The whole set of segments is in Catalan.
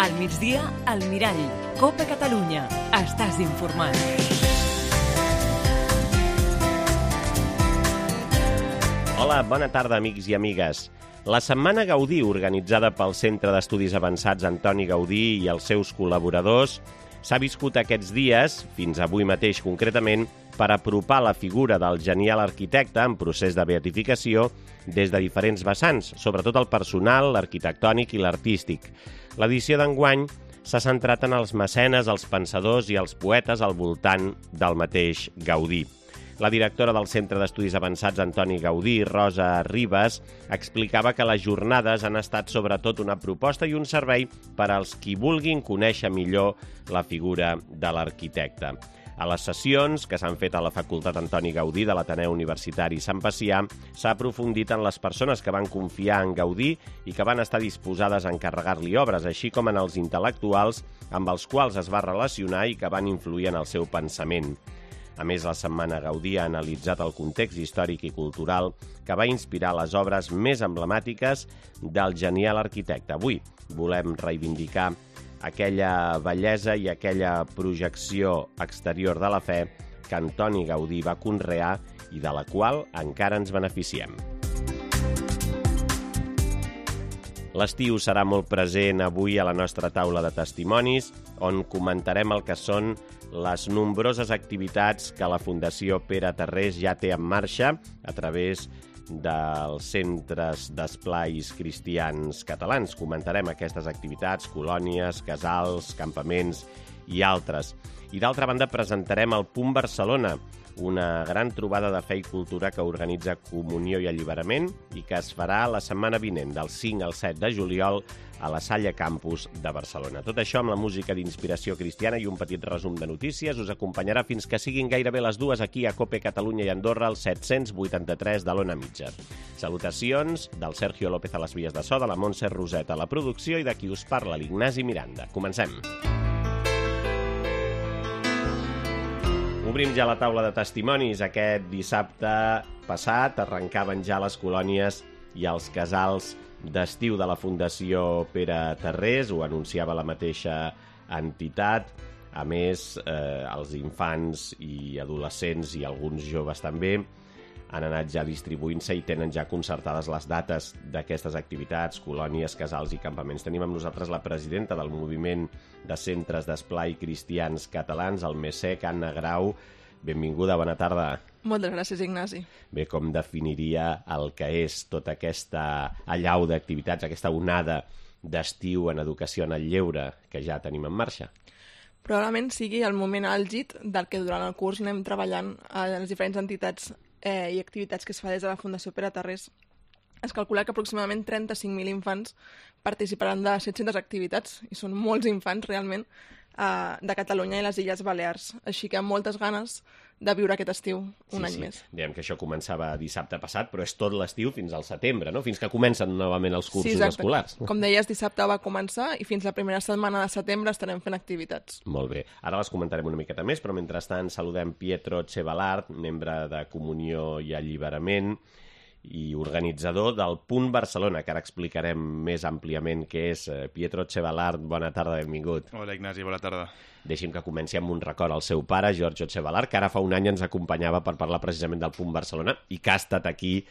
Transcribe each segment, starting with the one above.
Al migdia, al Mirall. Copa Catalunya. Estàs informat. Hola, bona tarda, amics i amigues. La Setmana Gaudí, organitzada pel Centre d'Estudis Avançats Antoni Gaudí i els seus col·laboradors, s'ha viscut aquests dies, fins avui mateix concretament, per apropar la figura del genial arquitecte en procés de beatificació des de diferents vessants, sobretot el personal, l'arquitectònic i l'artístic. L'edició d'enguany s'ha centrat en els mecenes, els pensadors i els poetes al voltant del mateix Gaudí. La directora del Centre d'Estudis Avançats Antoni Gaudí, Rosa Ribas, explicava que les jornades han estat sobretot una proposta i un servei per als qui vulguin conèixer millor la figura de l'arquitecte. A les sessions que s'han fet a la Facultat Antoni Gaudí de l'Ateneu Universitari Sant Pacià s'ha aprofundit en les persones que van confiar en Gaudí i que van estar disposades a encarregar-li obres, així com en els intel·lectuals amb els quals es va relacionar i que van influir en el seu pensament. A més, la Setmana Gaudí ha analitzat el context històric i cultural que va inspirar les obres més emblemàtiques del genial arquitecte. Avui volem reivindicar aquella bellesa i aquella projecció exterior de la fe que Antoni Gaudí va conrear i de la qual encara ens beneficiem. L'estiu serà molt present avui a la nostra taula de testimonis, on comentarem el que són les nombroses activitats que la Fundació Pere Tarrés ja té en marxa a través dels centres d'esplais cristians catalans. Comentarem aquestes activitats, colònies, casals, campaments i altres. I d'altra banda presentarem el Punt Barcelona, una gran trobada de fe i cultura que organitza Comunió i Alliberament i que es farà la setmana vinent, del 5 al 7 de juliol, a la Salla Campus de Barcelona. Tot això amb la música d'inspiració cristiana i un petit resum de notícies us acompanyarà fins que siguin gairebé les 2 aquí a Cope Catalunya i Andorra, al 783 de l'Ona Mitja. Salutacions del Sergio López a les vies de so, de la Montse Roset a la producció i de qui us parla, l'Ignasi Miranda. Comencem. Obrim ja la taula de testimonis. Aquest dissabte passat arrencaven ja les colònies i els casals d'estiu de la Fundació Pere Tarrés, ho anunciava la mateixa entitat. A més, els infants i adolescents i alguns joves també han anat ja distribuint-se i tenen ja concertades les dates d'aquestes activitats, colònies, casals i campaments. Tenim amb nosaltres la presidenta del Moviment de Centres d'Esplai Cristians Catalans, el MESEC, Anna Grau. Benvinguda, bona tarda. Moltes gràcies, Ignasi. Bé, com definiria el que és tota aquesta allau d'activitats, aquesta onada d'estiu en educació en el lleure que ja tenim en marxa? Probablement sigui el moment àlgid del que durant el curs anem treballant a les diferents entitats i activitats que es fa des de la Fundació Pere Tarrés. Es calcula que aproximadament 35.000 infants participaran de 700 activitats, i són molts infants realment, de Catalunya i les Illes Balears. Així que amb moltes ganes de viure aquest estiu un any més. Diem que això començava dissabte passat, però és tot l'estiu fins al setembre, no? Fins que comencen novament els cursos escolars. Com deies, dissabte va començar i fins la primera setmana de setembre estarem fent activitats. Molt bé. Ara les comentarem una miqueta més, però mentrestant saludem Pietro Cebalart, membre de Comunió i Alliberament i organitzador del Punt Barcelona, que ara explicarem més àmpliament què és. Pietro Cebalart, bona tarda, benvingut. Hola, Ignasi, bona tarda. Deixi'm que comenci amb un record al seu pare, Giorgio Cebalart, que ara fa un any ens acompanyava per parlar precisament del Punt Barcelona i que ha estat aquí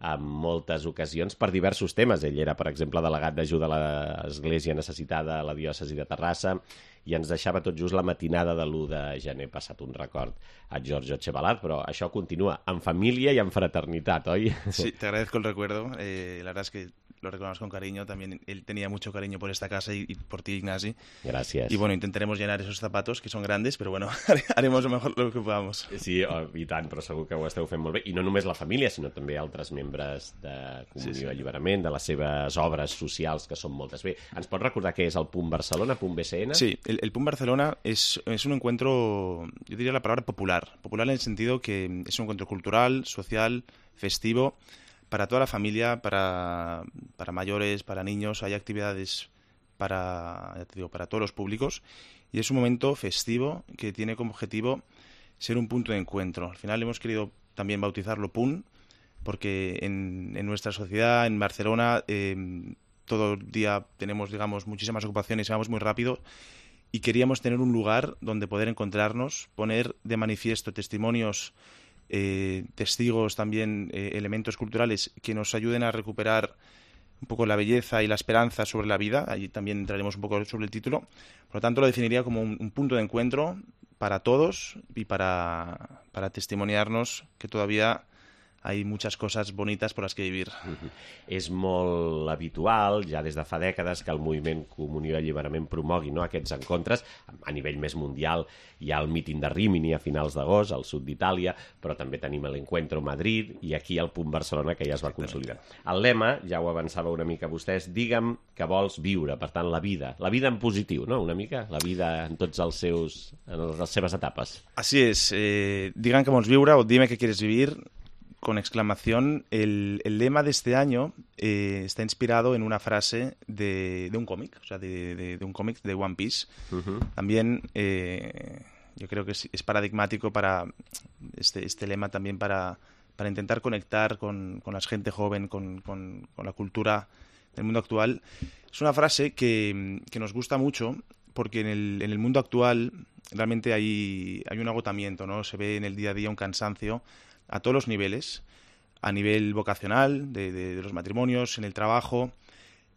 en moltes ocasions per diversos temes. Ell era, per exemple, delegat d'ajuda a l'Església Necessitada a la diòcesi de Terrassa i ens deixava tot just la matinada de l'1 de gener, passat un record a Giorgio Cebalart, però això continua en família y en fraternitat, ¿oi? Sí, te agradezco el recuerdo. La verdad es que lo recordamos con cariño. También él tenía mucho cariño por esta casa y por ti, Ignasi. Gracias. Y bueno, intentaremos llenar esos zapatos, que son grandes, pero bueno, haremos lo mejor lo que podamos. Sí, i tant, però segur que ho esteu fent molt bé. I no només la família, sinó també altres membres de Comunió i Alliberament, de les seves obres socials, que són moltes. Bé, ens pots recordar què és el Punt Barcelona, Punt BCN? Sí, el Punt Barcelona es un encuentro, yo diría la palabra popular. Popular en el sentido que es un encuentro cultural, social, festivo, para toda la familia, para mayores, para niños. Hay actividades para, ya te digo, para todos los públicos. Y es un momento festivo que tiene como objetivo ser un punto de encuentro. Al final hemos querido también bautizarlo PUN, porque en nuestra sociedad, en Barcelona, todo el día tenemos, digamos, muchísimas ocupaciones y vamos muy rápido, y queríamos tener un lugar donde poder encontrarnos, poner de manifiesto testimonios, testigos también, elementos culturales que nos ayuden a recuperar un poco la belleza y la esperanza sobre la vida. Allí también entraremos un poco sobre el título. Por lo tanto, lo definiría como un punto de encuentro para todos y para testimoniarnos que todavía hay muchas coses bonites per les que vivir. És molt habitual, ja des de fa dècades, que el moviment Comunió i Alliberament promogui aquests encontres. A nivell més mundial hi ha el míting de Rímini a finals d'agost, al sud d'Itàlia, però també tenim l'Encuentro Madrid i aquí el Punt Barcelona, que ja es va consolidar. El lema, ja ho avançava una mica vostès, digue'm que vols viure, per tant, la vida en positiu, no?, una mica, la vida en tots les seves etapes. Así es, digan que vols viure o dime que quieres vivir, con exclamación. El lema de este año está inspirado en una frase de un cómic, o sea, de un cómic de One Piece. También yo creo que es paradigmático para este lema también para intentar conectar con la gente joven, con la cultura del mundo actual. Es una frase que nos gusta mucho porque en el mundo actual realmente hay un agotamiento, ¿no? Se ve en el día a día un cansancio a todos los niveles, a nivel vocacional, de los matrimonios, en el trabajo,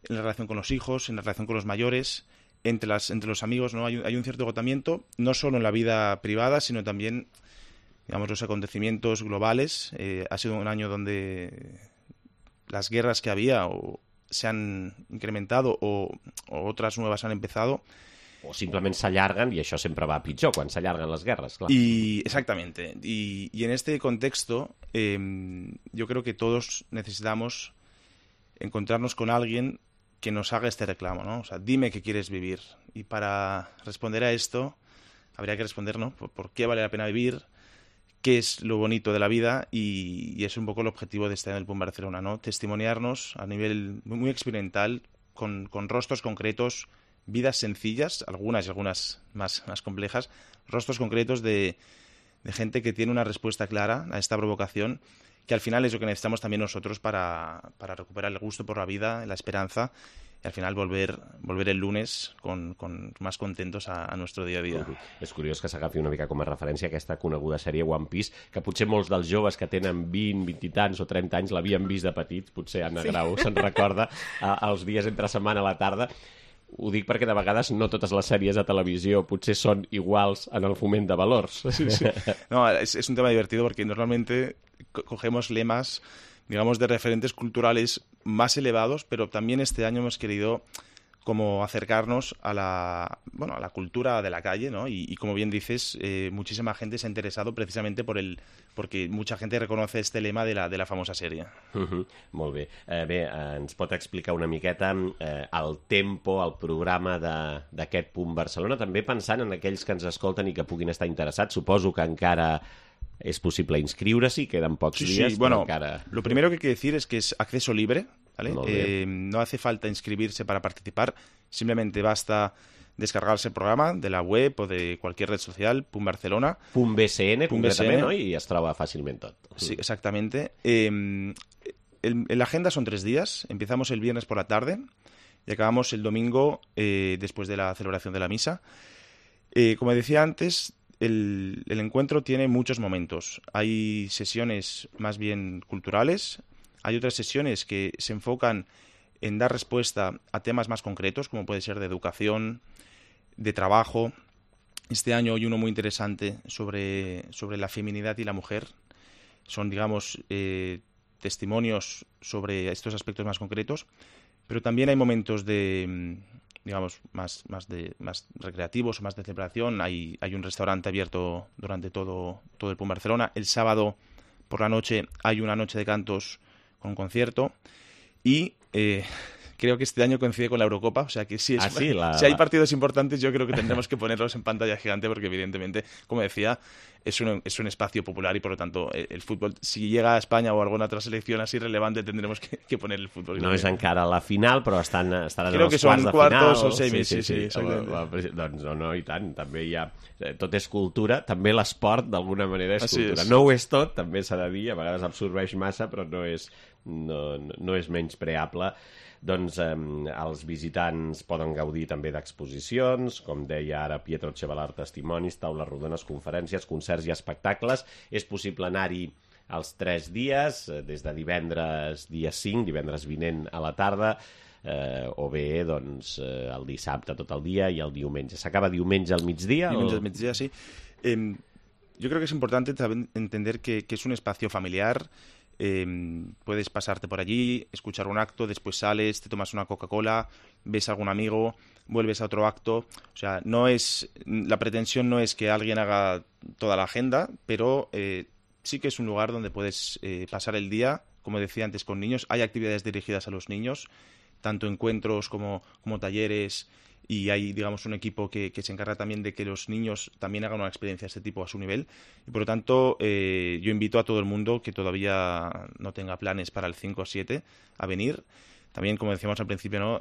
en la relación con los hijos, en la relación con los mayores, entre los amigos, ¿no? Hay un cierto agotamiento, no solo en la vida privada, sino también, digamos, los acontecimientos globales. Ha sido un año donde las guerras que había se han incrementado o otras nuevas han empezado. O simplement s'allarguen, i això sempre va pitjor, quan s'allarguen les guerres, clar. Exactamente. Y en este contexto, yo creo que todos necesitamos encontrarnos con alguien que nos haga este reclamo, ¿no? O sea, dime que quieres vivir. Y para responder a esto, habría que responder, ¿no?, por qué vale la pena vivir, qué es lo bonito de la vida, y es un poco el objetivo de este año del PUN Barcelona, ¿no? Testimoniarnos a nivel muy experimental, con rostros concretos, vidas sencillas, algunas y algunas más complejas, rostros concretos de gente que tiene una respuesta clara a esta provocación, que al final es lo que necesitamos también nosotros para recuperar el gusto por la vida, la esperanza, y al final volver el lunes con más contentos a nuestro dia a dia. És curiós que s'agafi una mica com a referència aquesta coneguda sèrie One Piece, que potser molts dels joves que tenen 20, 20 i tants o 30 anys l'havien vist de petits, potser Anna Grau se'n recorda, els dies entre setmana a la tarda. Ho dic perquè de vegades no totes les sèries de televisió potser són iguals en el foment de valors. Sí. No, es un tema divertido porque normalmente cogemos lemas, digamos, de referentes culturales más elevados, pero también este año hemos querido como acercarnos a la cultura de la calle, ¿no? Y como bien dices, muchísima gente se ha interesado precisamente porque mucha gente reconoce este lema de la famosa sèrie. Molt bé. Bé, ens pot explicar una miqueta el tempo, el programa d'aquest Punt Barcelona, també pensant en aquells que ens escolten i que puguin estar interessats. Suposo que encara es posible inscriure-s'hi, queden pocs dies. Sí, bueno, lo primero que hay que decir es que es acceso libre, ¿vale? No hace falta inscribirse para participar, simplemente basta descargarse el programa de la web o de cualquier red social, Punt Barcelona. .bcn, concretament, no? I es troba fàcilment tot. Sí, exactamente. La agenda son 3 días, empezamos el viernes por la tarde y acabamos el domingo después de la celebración de la misa. Como decía antes, el encuentro tiene muchos momentos. Hay sesiones más bien culturales, hay otras sesiones que se enfocan en dar respuesta a temas más concretos, como puede ser de educación, de trabajo. Este año hay uno muy interesante sobre la feminidad y la mujer. Son, digamos, testimonios sobre estos aspectos más concretos, pero también hay momentos de, digamos, más recreativos, más de celebración. Hay un restaurante abierto durante todo el Punt Barcelona. El sábado por la noche hay una noche de cantos con concierto y creo que este año coincide con la Eurocopa, o sea que si hay partidos importantes yo creo que tendremos que ponerlos en pantalla gigante porque evidentemente, como decía, es un espacio popular y por lo tanto el fútbol, si llega a España o alguna otra selección así relevante tendremos que poner el fútbol. No és encara la final, però estaran en els quarts de final. Creo que son cuartos o semis, sí. Doncs no, i tant, també hi ha... Tot és cultura, també l'esport d'alguna manera és cultura. És. No ho és tot, també s'ha de dir, a vegades absorbeix massa, però no és menyspreable. Doncs els visitants poden gaudir també d'exposicions, com deia ara Pietro Ceballar, testimonis, taules rodones, conferències, concerts i espectacles. És possible anar-hi els 3 dies, des de divendres dia 5, divendres vinent a la tarda, o bé doncs, el dissabte tot el dia i el diumenge. ¿S'acaba diumenge al migdia? Diumenge al migdia, sí. Yo creo que es importante entender que es un espacio familiar. Puedes pasarte por allí, escuchar un acto, después sales, te tomas una Coca-Cola, ves a algún amigo, vuelves a otro acto. O sea, la pretensión no es que alguien haga toda la agenda, pero sí que es un lugar donde puedes pasar el día, como decía antes, con niños. Hay actividades dirigidas a los niños, tanto encuentros como talleres, y hay, digamos, un equipo que se encarga también de que los niños también hagan una experiencia de este tipo a su nivel. Y por lo tanto, yo invito a todo el mundo que todavía no tenga planes para el 5 o 7 a venir. También, como decíamos al principio, ¿no?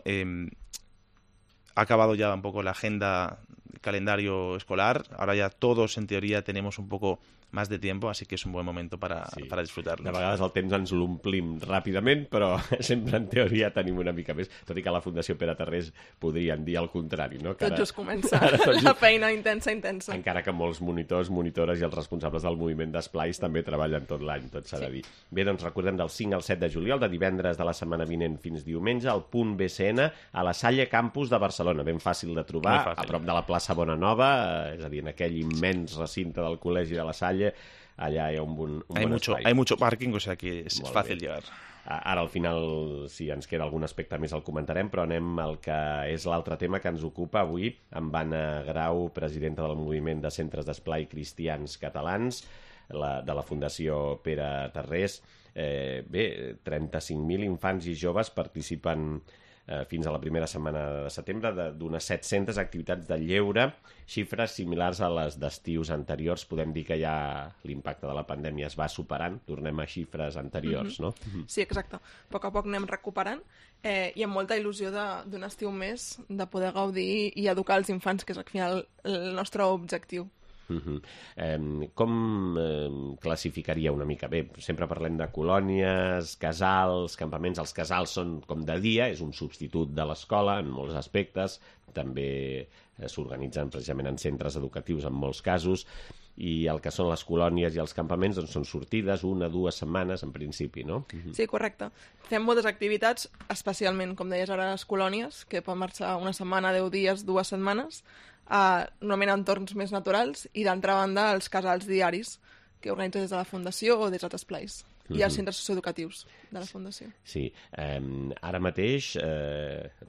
Ha acabado ya un poco la agenda, el calendario escolar. Ahora ya todos, en teoría, tenemos un poco más de tiempo, así que és un bon moment para disfrutar-lo. De vegades el temps ens l'omplim ràpidament, però sempre en teoria tenim una mica més, tot i que a la Fundació Pere Tarrés podrien dir el contrari, no? Tot just comença la feina intensa. Encara que molts monitors, monitores i els responsables del moviment d'esplais també treballen tot l'any, tot s'ha de dir. Bé, doncs recordem del 5 al 7 de juliol, de divendres de la setmana vinent fins diumenge, al punt BCN, a la Salle Campus de Barcelona, ben fàcil de trobar, a prop de la plaça Bonanova, és a dir, en aquell immens recinte del Col·legi de la Salle. Allà hi ha un bon espai. Hay mucho parking, o sea que es fácil llegar. Ara al final, si ens queda algun aspecte més el comentarem, però anem al que és l'altre tema que ens ocupa avui, amb Anna Grau, presidenta del Moviment de Centres d'Esplai Cristians Catalans, de la Fundació Pere Tarrés. Bé, 35.000 infants i joves participen fins a la primera setmana de setembre d'unes 700 activitats de lleure, xifres similars a les d'estius anteriors. Podem dir que ja l'impacte de la pandèmia es va superant, tornem a xifres anteriors, no? Sí, exacte. A poc a poc anem recuperant i amb molta il·lusió d'un estiu més de poder gaudir i educar els infants, que és al final el nostre objectiu. Com classificaria una mica? Bé, sempre parlem de colònies, casals, campaments. Els casals són com de dia, és un substitut de l'escola en molts aspectes, també s'organitzen precisament en centres educatius en molts casos, i el que són les colònies i els campaments doncs són sortides, 1 o 2 setmanes en principi, no? Sí, correcte. Fem moltes activitats, especialment, com deies ara, les colònies, que poden marxar una setmana, 10 dies, 2 setmanes, normalment en entorns més naturals, i d'altra banda els casals diaris que organitza des de la Fundació o des d'altres esplais, i els centres socioeducatius de la Fundació. Sí, ara mateix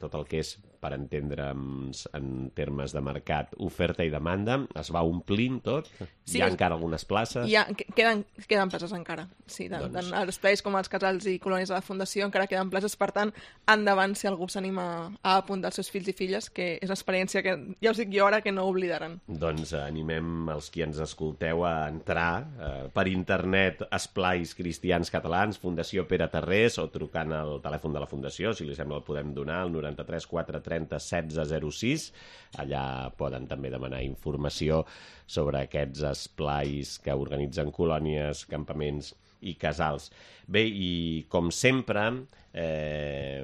tot el que és, per entendre'ns en termes de mercat, oferta i demanda, es va omplint tot? Sí, hi ha encara algunes places? Queden places encara, sí, tant als esplais com als casals i colònies de la Fundació encara queden places, per tant, endavant si algú s'anima a apuntar els seus fills i filles, que és una experiència que, ja us dic jo ara, que no oblidaran. Doncs animem els qui ens escolteu a entrar per internet Esplais Cristians Catalans, Fundació Pere Tarrés, o trucant al telèfon de la Fundació, si li sembla el podem donar, el 93 430 1606. Allà poden també demanar informació sobre aquests esplais que organitzen colònies, campaments i casals. Bé, i com sempre,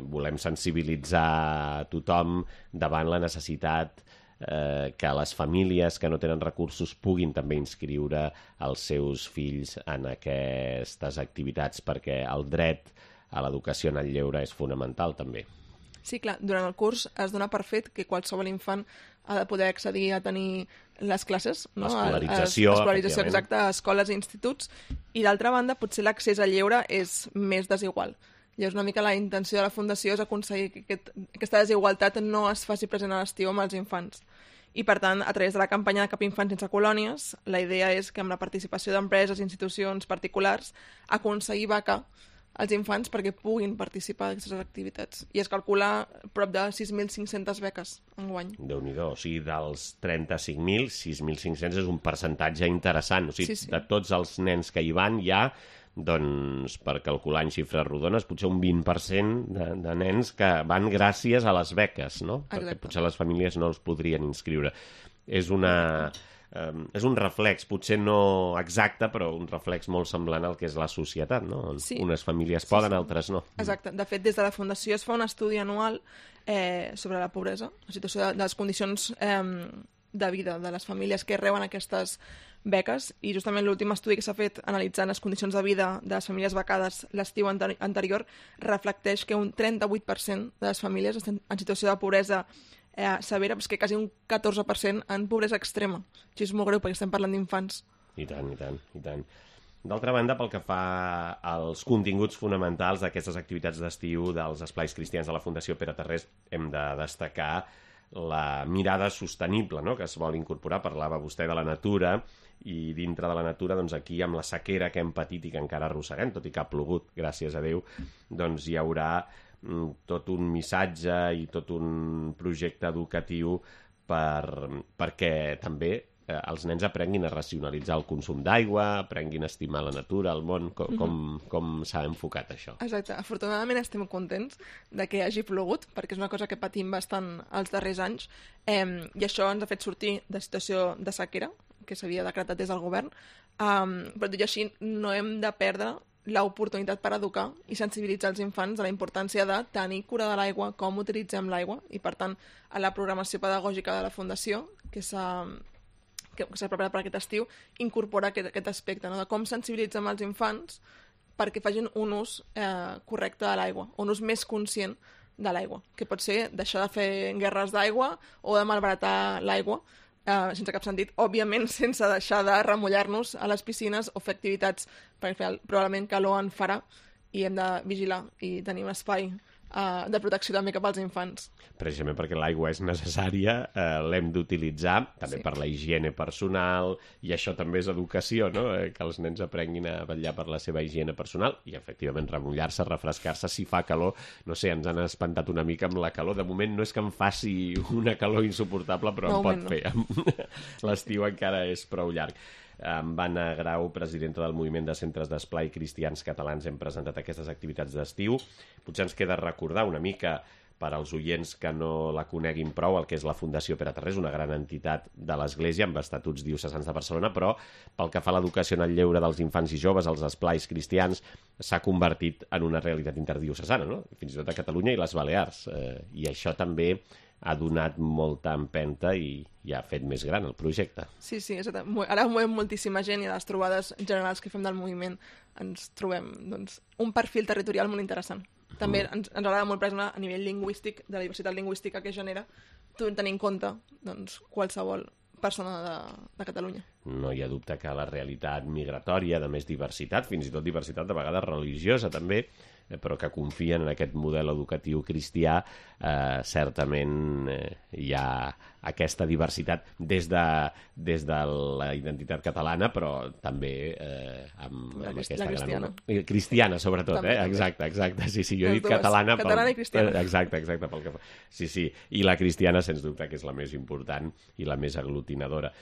volem sensibilitzar tothom davant la necessitat que les famílies que no tenen recursos puguin també inscriure els seus fills en aquestes activitats, perquè el dret a l'educació en el lleure és fonamental també. Sí, clar, durant el curs es dona per fet que qualsevol infant ha de poder accedir a tenir les classes, no? L'escolarització, exacta, a escoles i instituts, i d'altra banda potser l'accés al lleure és més desigual. Llavors una mica la intenció de la Fundació és aconseguir que aquesta desigualtat no es faci present a l'estiu amb els infants. I per tant, a través de la campanya de Cap Infant sense colònies, la idea és que amb la participació d'empreses i institucions particulars aconseguir becar els infants perquè puguin participar d'aquestes activitats. I es calcula prop de 6.500 beques enguany. Déu-n'hi-do, o sigui, dels 35.000, 6.500 és un percentatge interessant. O sigui, sí. De tots els nens que hi van hi ha, doncs, per calcular en xifres rodones, potser un 20% de nens que van gràcies a les beques, no? Exacte. Perquè potser les famílies no els podrien inscriure. És una és un reflex, potser no exacte, però un reflex molt semblant al que és la societat, no? Sí. Unes famílies poden, altres no. Exacte. De fet, des de la Fundació es fa un estudi anual sobre la pobresa, la situació de les condicions de vida de les famílies que reben aquestes beques, i justament l'últim estudi que s'ha fet analitzant les condicions de vida de les famílies becades l'estiu anterior reflecteix que un 38% de les famílies estan en situació de pobresa severa, però és que quasi un 14% en pobresa extrema. Això és molt greu perquè estem parlant d'infants. I tant, i tant, i tant. D'altra banda, pel que fa als continguts fonamentals d'aquestes activitats d'estiu dels esplais cristians de la Fundació Pere Tarrés, hem de destacar la mirada sostenible, no?, que es vol incorporar. Parlava vostè de la natura, i dintre de la natura, doncs aquí, amb la sequera que hem patit i que encara arrosseguem, tot i que ha plogut, gràcies a Déu, doncs hi haurà tot un missatge i tot un projecte educatiu perquè també els nens aprenguin a racionalitzar el consum d'aigua, aprenguin a estimar la natura, el món. Com s'ha enfocat això? Exacte. Afortunadament estem contents de que hagi plogut, perquè és una cosa que patim bastant els darrers anys, i això ens ha fet sortir de situació de sequera, que s'havia decretat des del govern, però tot i així no hem de perdre l'oportunitat per educar i sensibilitzar els infants de la importància de tenir cura de l'aigua, com utilitzem l'aigua, i per tant a la programació pedagògica de la Fundació, que s'ha preparat per aquest estiu, incorpora aquest aspecte, no?, de com sensibilitzem els infants perquè facin un ús correcte de l'aigua, un ús més conscient de l'aigua, que pot ser deixar de fer guerres d'aigua o de malbaratar l'aigua, sense cap sentit, òbviament sense deixar de remullar-nos a les piscines o fer activitats, perquè probablement calor en farà i hem de vigilar i tenir un espai de protecció també cap als infants. Precisament perquè l'aigua és necessària, l'hem d'utilitzar també per la higiene personal, i això també és educació, no?, que els nens aprenguin a vetllar per la seva higiene personal i efectivament remullar-se, refrescar-se si fa calor. No sé, ens han espantat una mica amb la calor. De moment no és que em faci una calor insuportable, però no, em pot fer. L'estiu encara és prou llarg. Amb Anna Grau, presidenta del Moviment de Centres d'Esplai Cristians Catalans, hem presentat aquestes activitats d'estiu. Potser ens queda recordar una mica, per als oients que no la coneguin prou, el que és la Fundació Pere Tarrés, una gran entitat de l'Església amb estatuts diocesans de Barcelona, però pel que fa a l'educació en el lleure dels infants i joves, els esplais cristians, s'ha convertit en una realitat interdiocesana, no?, fins i tot a Catalunya i les Balears. I això també ha donat molta empenta i ha fet més gran el projecte. Sí, exacte. Ara movem moltíssima gent i a les trobades generals que fem del moviment ens trobem un perfil territorial molt interessant. També ens agrada molt, per exemple, a nivell lingüístic, de la diversitat lingüística que genera, tenir en compte qualsevol persona de Catalunya. No hi ha dubte que la realitat migratòria, de més diversitat, fins i tot diversitat de vegades religiosa també, però que confien en aquest model educatiu cristià, certament hi ha aquesta diversitat des de la identitat catalana, però també amb aquesta cristiana. Cristiana, sobretot, també. Exacte. Sí, jo he dit catalana i cristiana. Exacte, pel que fa. Sí, i la cristiana, sens dubte, que és la més important i la més aglutinadora.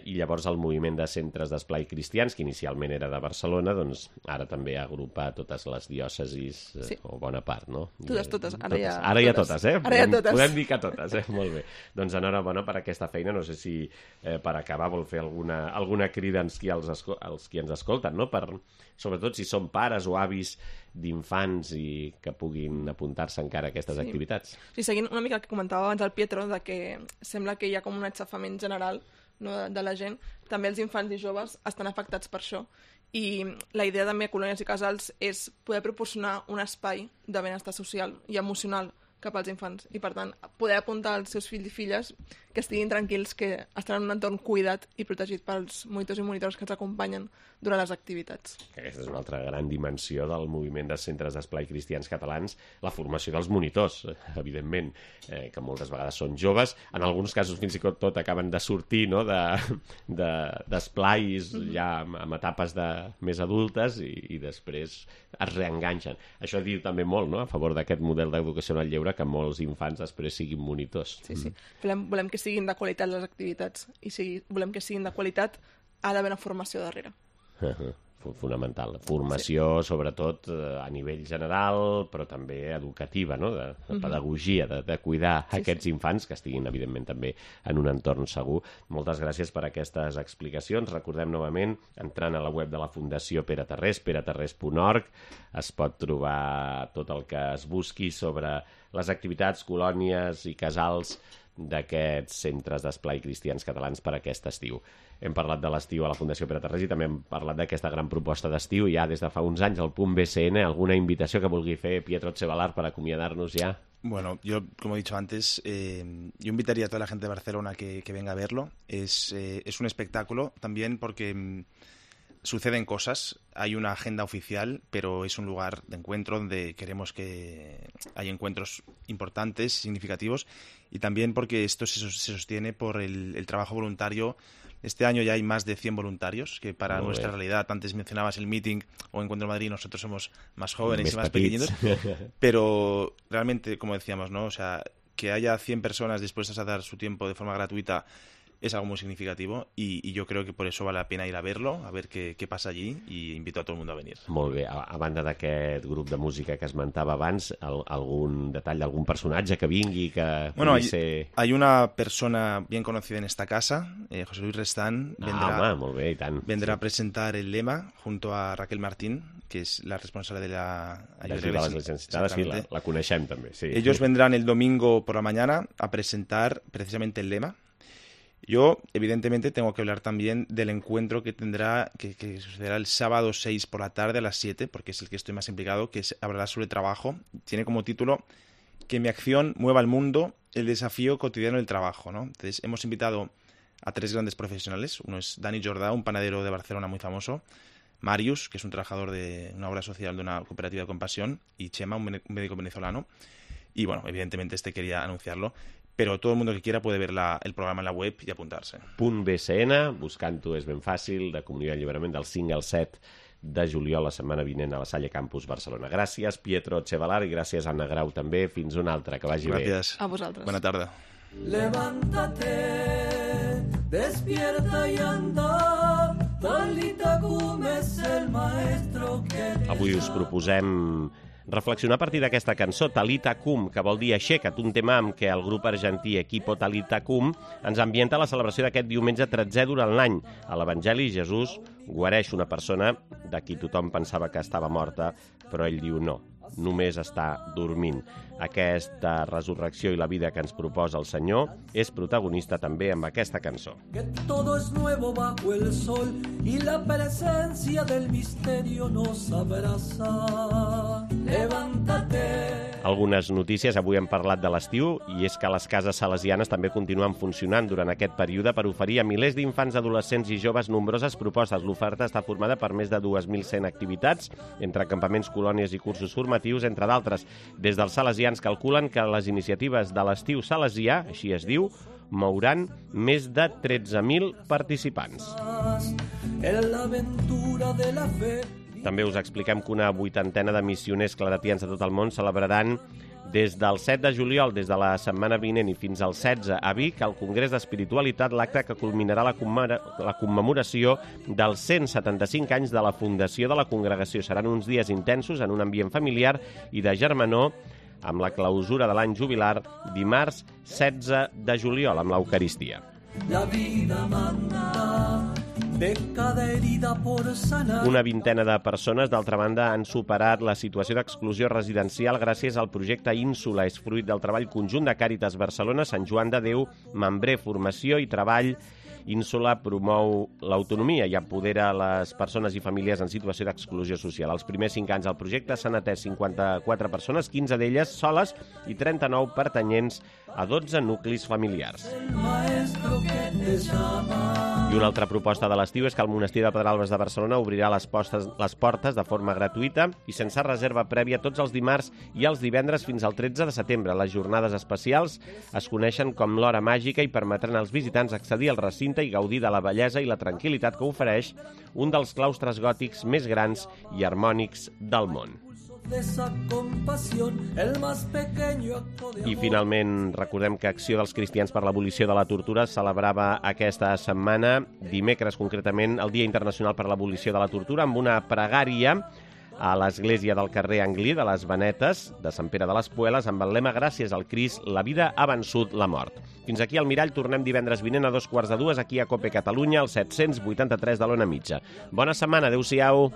I llavors el moviment de centres d'esplai cristians, que inicialment era de Barcelona, doncs ara també agrupa totes les diòcesis, o bona part, no? Totes. Ara ja totes, Ara ja totes. Podem dir que totes, molt bé. Doncs enhorabona per aquesta feina. No sé si per acabar vol fer alguna crida als qui ens escolten, no?, sobretot si són pares o avis d'infants i que puguin apuntar-se encara a aquestes activitats. Sí, seguint una mica el que comentava abans el Pietro, de que sembla que hi ha com un aixafament general, no, de la gent, també els infants i joves estan afectats per això, i la idea també a Colònies i Casals és poder proporcionar un espai de benestar social i emocional cap als infants, i per tant poder apuntar als seus fills i filles que estiguin tranquils, que estaran en un entorn cuidat i protegit pels monitors i monitors que els acompanyen durant les activitats. Aquesta és una altra gran dimensió del moviment de centres d'esplai cristians catalans, la formació dels monitors, evidentment, que moltes vegades són joves, en alguns casos fins i tot acaben de sortir, no?, d'esplais ja amb etapes més adultes i després es reenganxen. Això diu també molt, no?, a favor d'aquest model d'educació en el lleure, que molts infants després siguin monitors. Sí. Volem que siguin de qualitat les activitats, i si volem que siguin de qualitat ha d'haver una formació darrere. fonamental. Formació, sobretot, a nivell general, però també educativa, no? De pedagogia, de cuidar aquests infants, que estiguin, evidentment, també en un entorn segur. Moltes gràcies per aquestes explicacions. Recordem novament, entrant a la web de la Fundació Pere Tarrés, peretarrés.org, es pot trobar tot el que es busqui sobre les activitats, colònies i casals d'aquests centres d'esplai cristians catalans per aquest estiu. Hem parlat de l'estiu a la Fundació Pere Tarrés i també hem parlat d'aquesta gran proposta d'estiu ja des de fa uns anys, el punt BCN. ¿Alguna invitació que vulgui fer Pietro Etxebalar para acomiadarnos ya? Bueno, yo, como he dicho antes, yo invitaría a toda la gente de Barcelona que venga a verlo. Es un espectáculo también porque suceden cosas, hay una agenda oficial, pero es un lugar de encuentro donde queremos que haya encuentros importantes, significativos, y también porque esto se sostiene por el trabajo voluntario. Este año ya hay más de 100 voluntarios, que para nuestra realidad, antes mencionabas el meeting o Encuentro Madrid, nosotros somos más jóvenes y más pequeñitos, pero realmente, como decíamos, ¿no? O sea, que haya 100 personas dispuestas a dar su tiempo de forma gratuita es algo muy significativo y yo creo que por eso vale la pena ir a verlo, a ver qué pasa allí, y invito a todo el mundo a venir. Molt bé. A banda d'aquest grup de música que esmentava abans, algun detall d'algun personatge que vingui, que pugui ser... Hay una persona bien conocida en esta casa, José Luis Restán, molt bé, i tant. Vendrá a presentar el lema junto a Raquel Martín, que es la responsable de la ayuda a las necesitadas, sí, la coneixem també. Sí. Ellos vendrán el domingo por la mañana a presentar precisamente el lema. Yo, evidentemente, tengo que hablar también del encuentro que sucederá el sábado 6 por la tarde a las 7, porque es el que estoy más implicado, que hablará sobre trabajo. Tiene como título Que mi acción mueva al mundo, el desafío cotidiano del trabajo, ¿no? Entonces, hemos invitado a 3 grandes profesionales. Uno es Dani Jordà, un panadero de Barcelona muy famoso. Marius, que es un trabajador de una obra social de una cooperativa de compasión. Y Chema, un médico venezolano. Y, bueno, evidentemente quería anunciarlo. Però tot el món que quiera puede ver el programa en la web i apuntar-se. Punt BCN, buscant-ho és ben fàcil, de Comunitat i Alliberament del 5 al 7 de juliol, la setmana vinent a la Salle Campus Barcelona. Gràcies, Pietro Etxebalar, i gràcies, Anna Grau, també. Fins una altra, que vagi bé. Gràcies. A vosaltres. Bona tarda. Levántate, despierta y anda, Talita Kum es el maestro que... Avui us proposem reflexionar a partir d'aquesta cançó, Talita Kum, que vol dir aixeca't, un tema amb què el grup argentí Equipo Talita Kum ens ambienta la celebració d'aquest diumenge 13è durant l'any. A l'Evangeli, Jesús guareix una persona de qui tothom pensava que estava morta, però ell diu no, només està dormint. Aquesta resurrecció i la vida que ens proposa el Senyor és protagonista també amb aquesta cançó. Que todo es nuevo bajo el sol y la presencia del misterio nos abraza. Levántate. Algunes notícies. Avui hem parlat de l'estiu i és que les cases salesianes també continuen funcionant durant aquest període per oferir a milers d'infants, adolescents i joves nombroses propostes. L'oferta està formada per més de 2.100 activitats, entre campaments, colònies i cursos formatius, entre d'altres. Des dels salesians calculen que les iniciatives de l'estiu salesià, així es diu, mouran més de 13.000 participants. En l'aventura de la fe. També us expliquem que una 80ena de missioners claretians de tot el món celebraran des del 7 de juliol, des de la setmana vinent i fins al 16 a Vic, al Congrés d'Espiritualitat, l'acte que culminarà la commemoració dels 175 anys de la fundació de la congregació. Seran uns dies intensos en un ambient familiar i de germanor, amb la clausura de l'any jubilar dimarts 16 de juliol, amb l'Eucaristia. La vida manda de cada herida por sanar. Una vintena de persones, d'altra banda, han superat la situació d'exclusió residencial gràcies al projecte Ínsula. És fruit del treball conjunt de Càritas Barcelona, Sant Joan de Déu, Membré, Formació i Treball. Ínsula promou l'autonomia i empodera les persones i famílies en situació d'exclusió social. Els primers 5 anys del projecte s'han atès 54 persones, 15 d'elles soles i 39 pertanyents a 12 nuclis familiars. I una altra proposta de l'estiu és que el Monestir de Pedralbes de Barcelona obrirà les portes de forma gratuïta i sense reserva prèvia tots els dimarts i els divendres fins al 13 de setembre. Les jornades especials es coneixen com l'hora màgica i permetran als visitants accedir al recinte i gaudir de la bellesa i la tranquil·litat que ofereix un dels claustres gòtics més grans i harmònics del món. de esa compasión, el más pequeño acto de amor. I finalment recordem que Acció dels Cristians per l'Abolició de la Tortura celebrava aquesta setmana, dimecres concretament, el Dia Internacional per l'Abolició de la Tortura, amb una pregària a l'església del carrer Anglí de les Venetes, de Sant Pere de les Pueles, amb el lema "Gràcies al Crist, la vida ha vençut la mort". Fins aquí al Mirall, tornem divendres vinent a 2:45 aquí a COPE Catalunya, al 783 de l'Ona Mitja. Bona setmana, adeu-siau.